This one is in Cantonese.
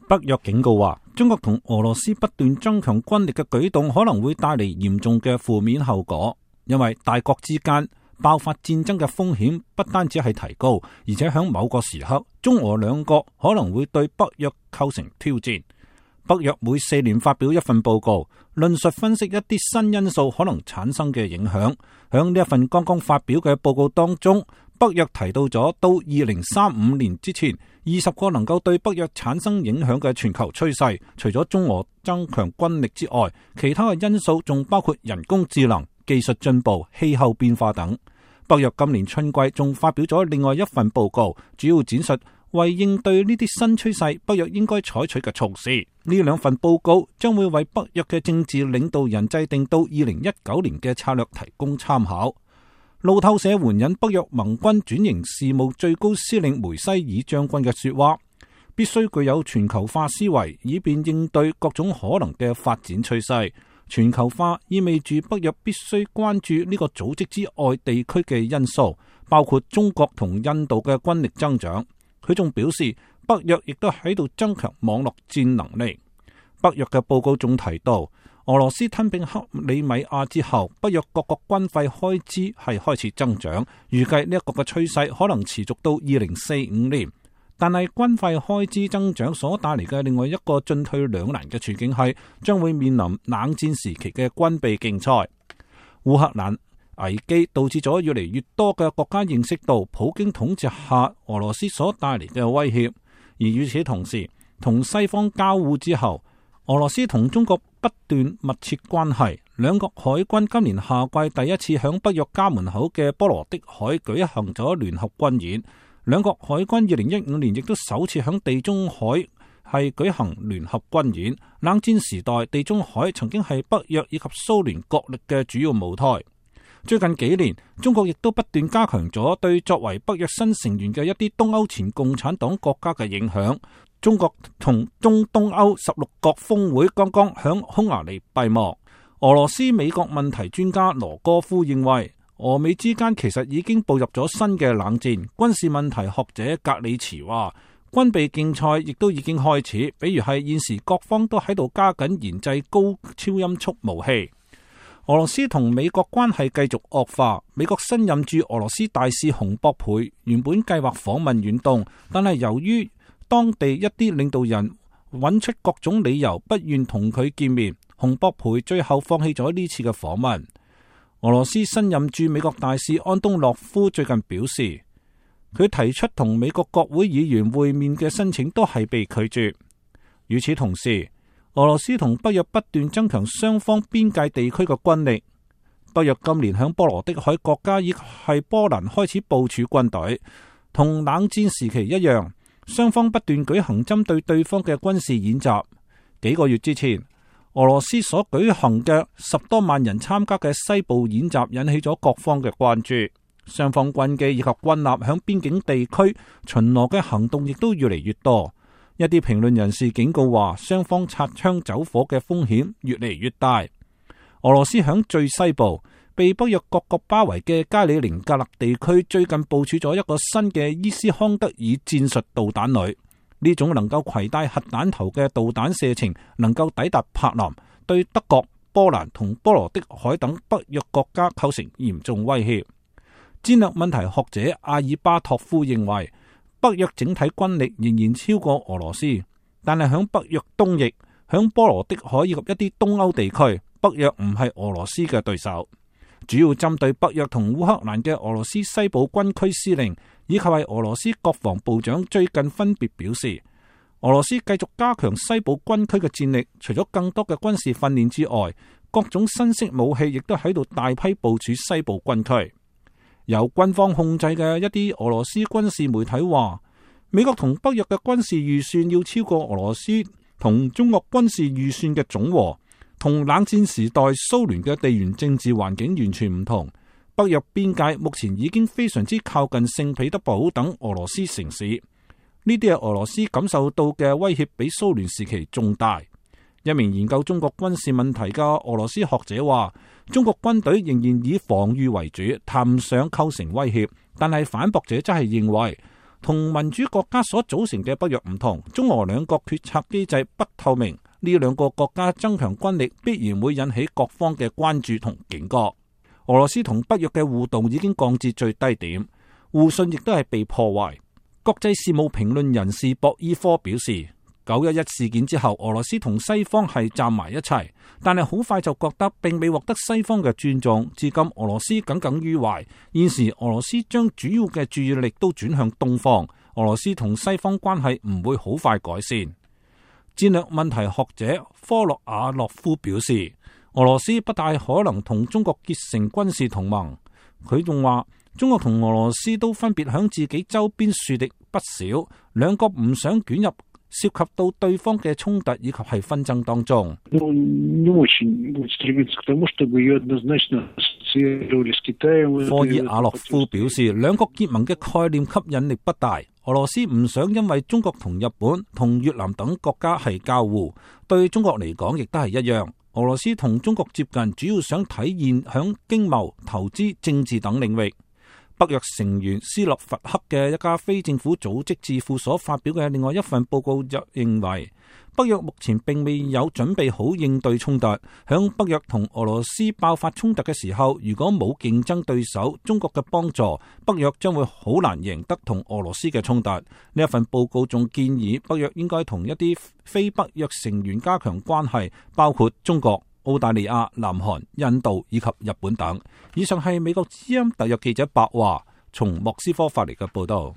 北約警告話，中國同俄羅斯不斷增強軍力嘅舉動可能會帶嚟嚴重嘅負面後果，因為大國之間爆發戰爭嘅風險不單止係提高，而且喺某個時刻，中俄兩國可能會對北約構成挑戰。北約每4年發表一份報告，論述分析一啲新因素可能產生嘅影響。喺呢一份剛剛發表嘅報告當中，北約提到咗到2035年之前20個能夠對北約產生影響嘅全球趨勢。除咗中俄增強軍力之外，其他嘅因素仲包括人工智能、技術進步、氣候變化等。北約今年春季仲發表咗另外一份報告，主要展述為應對呢啲新趨勢，北約應該採取嘅措施。呢兩份報告將會為北約嘅政治領導人制定到2019年嘅策略提供參考。路透社援引北約盟軍轉型事務最高司令梅西爾將軍嘅說話，必須具有全球化思維，以便應對各種可能嘅發展趨勢。全球化意味住北約必須關注呢個組織之外地區嘅因素，包括中國同印度嘅軍力增長。佢仲表示，北約亦都喺度增強網絡戰能力。北約嘅報告仲提到，俄羅斯吞併克里米亞之後，北約各國軍費開支係開始增長，預計呢一個嘅趨勢可能持續到2045年。但係軍費開支增長所帶嚟嘅另外一個進退兩難嘅處境係，將會面臨冷戰時期嘅軍備競賽。烏克蘭危機導致咗越嚟越多嘅國家認識到普京統治下俄羅斯所帶嚟嘅威脅，而與此同時，同西方交惡之後，俄羅斯同中國不斷密切關係。兩國海軍今年夏季第一次響北約家門口嘅波羅的海舉行咗聯合軍演。兩國海軍2015年亦都首次響地中海係舉行聯合軍演。冷戰時代，地中海曾經係北約以及蘇聯角力嘅主要舞台。最近幾年，中國亦都不斷加強咗對作為北約新成員嘅一啲東歐前共產黨國家嘅影響。中國同中東歐16國峰會剛剛響匈牙利閉幕。俄羅斯美國問題專家羅戈夫認為，俄美之間其實已經步入咗新嘅冷戰。軍事問題學者格里茨話，軍備競賽亦都已經開始，比如係現時各方都喺度加緊研製高超音速武器。俄羅斯同美國關係繼續惡化。美國新任駐俄羅斯大使洪博培原本計劃訪問遠東，但係由於當地一啲領導人揾出各種理由不願同佢見面，洪博培最後放棄咗呢次嘅訪問。俄羅斯新任駐美國大使安東諾夫最近表示，佢提出同美國國會議員會面嘅申請都係被拒絕。與此同時，俄羅斯同北約不斷增強雙方邊界地區嘅軍力。北約今年響波羅的海國家亦係波蘭開始部署軍隊，同冷戰時期一樣，雙方不斷舉行針對對方嘅軍事演習。幾個月之前，俄羅斯所舉行嘅10多萬人參加嘅西部演習引起咗各方嘅關注。雙方軍機以及軍艦響邊境地區巡邏嘅行動亦都越嚟越多。一啲評論人士警告話，雙方擦槍走火嘅風險越嚟越大。俄羅斯響最西部被北約各國包圍嘅加里寧格勒地區，最近部署咗一個新嘅伊斯康德爾戰術導彈旅。呢種能夠攜帶核彈頭嘅導彈射程能夠抵達柏林，對德國、波蘭同波羅的海等北約國家構成嚴重威脅。戰略問題學者阿爾巴托夫認為，北約整體軍力仍然超過俄羅斯，但係響北約東翼、響波羅的海以及一啲東歐地區，北約唔係俄羅斯嘅對手。主要針對北約同烏克蘭嘅俄羅斯西部軍區司令以及係俄羅斯國防部長最近分別表示，俄羅斯繼續加強西部軍區嘅戰力，除咗更多嘅軍事訓練之外，各種新式武器亦都喺度大批部署西部軍區。由軍方控制嘅一啲俄羅斯軍事媒體話，美國同北約嘅軍事預算要超過俄羅斯同中國軍事預算嘅總和，同冷戰時代蘇聯嘅地緣政治環境完全唔同。北約邊界目前已經非常之靠近聖彼得堡等俄羅斯城市，呢啲係俄羅斯感受到嘅威脅比蘇聯時期仲大。一名研究中國軍事問題嘅俄羅斯學者話，中國軍隊仍然以防禦為主，談唔上構成威脅。但係反駁者則係認為，同民主國家所組成嘅北約唔同，中俄兩國決策機制不透明，呢兩個國家增強軍力必然會引起各方嘅關注同警覺。俄羅斯同北約嘅互動已經降至最低點，互信亦都係被破壞。國際事務評論人士博伊科表示，911事件之後，俄羅斯同西方係站埋一齊，但係好快就覺得並未獲得西方嘅尊重。至今俄羅斯耿耿於懷，現時俄羅斯將主要嘅注意力都轉向東方，俄羅斯同西方關係唔會好快改善。戰略問題學者科洛瓦洛夫表示，俄羅斯不大可能同中國結成軍事同盟。佢仲話，中國同俄羅斯都分別響自己周邊樹敵不少，兩國唔想捲入涉及到對方嘅衝突以及係紛爭當中。科爾瓦洛夫表示，兩國結盟嘅概念吸引力不大。俄羅斯唔想因為中國同日本同越南等國家係交互，對中國嚟講亦都係一樣。俄羅斯同中國接近，主要想體現響經貿、投資、政治等領域。北約成員斯洛伐克嘅一家非政府組織智庫所發表嘅另外一份報告就認為，北約目前並未有準備好應對衝突。響北約同俄羅斯爆發衝突嘅時候，如果冇競爭對手中國嘅幫助，北約將會好難贏得同俄羅斯嘅衝突。呢一份報告仲建議北約應該同一啲非北約成員加強關係，包括中國、澳大利亞、南韓、印度以及日本等。以上係美國之音特約記者白華從莫斯科發嚟嘅報道。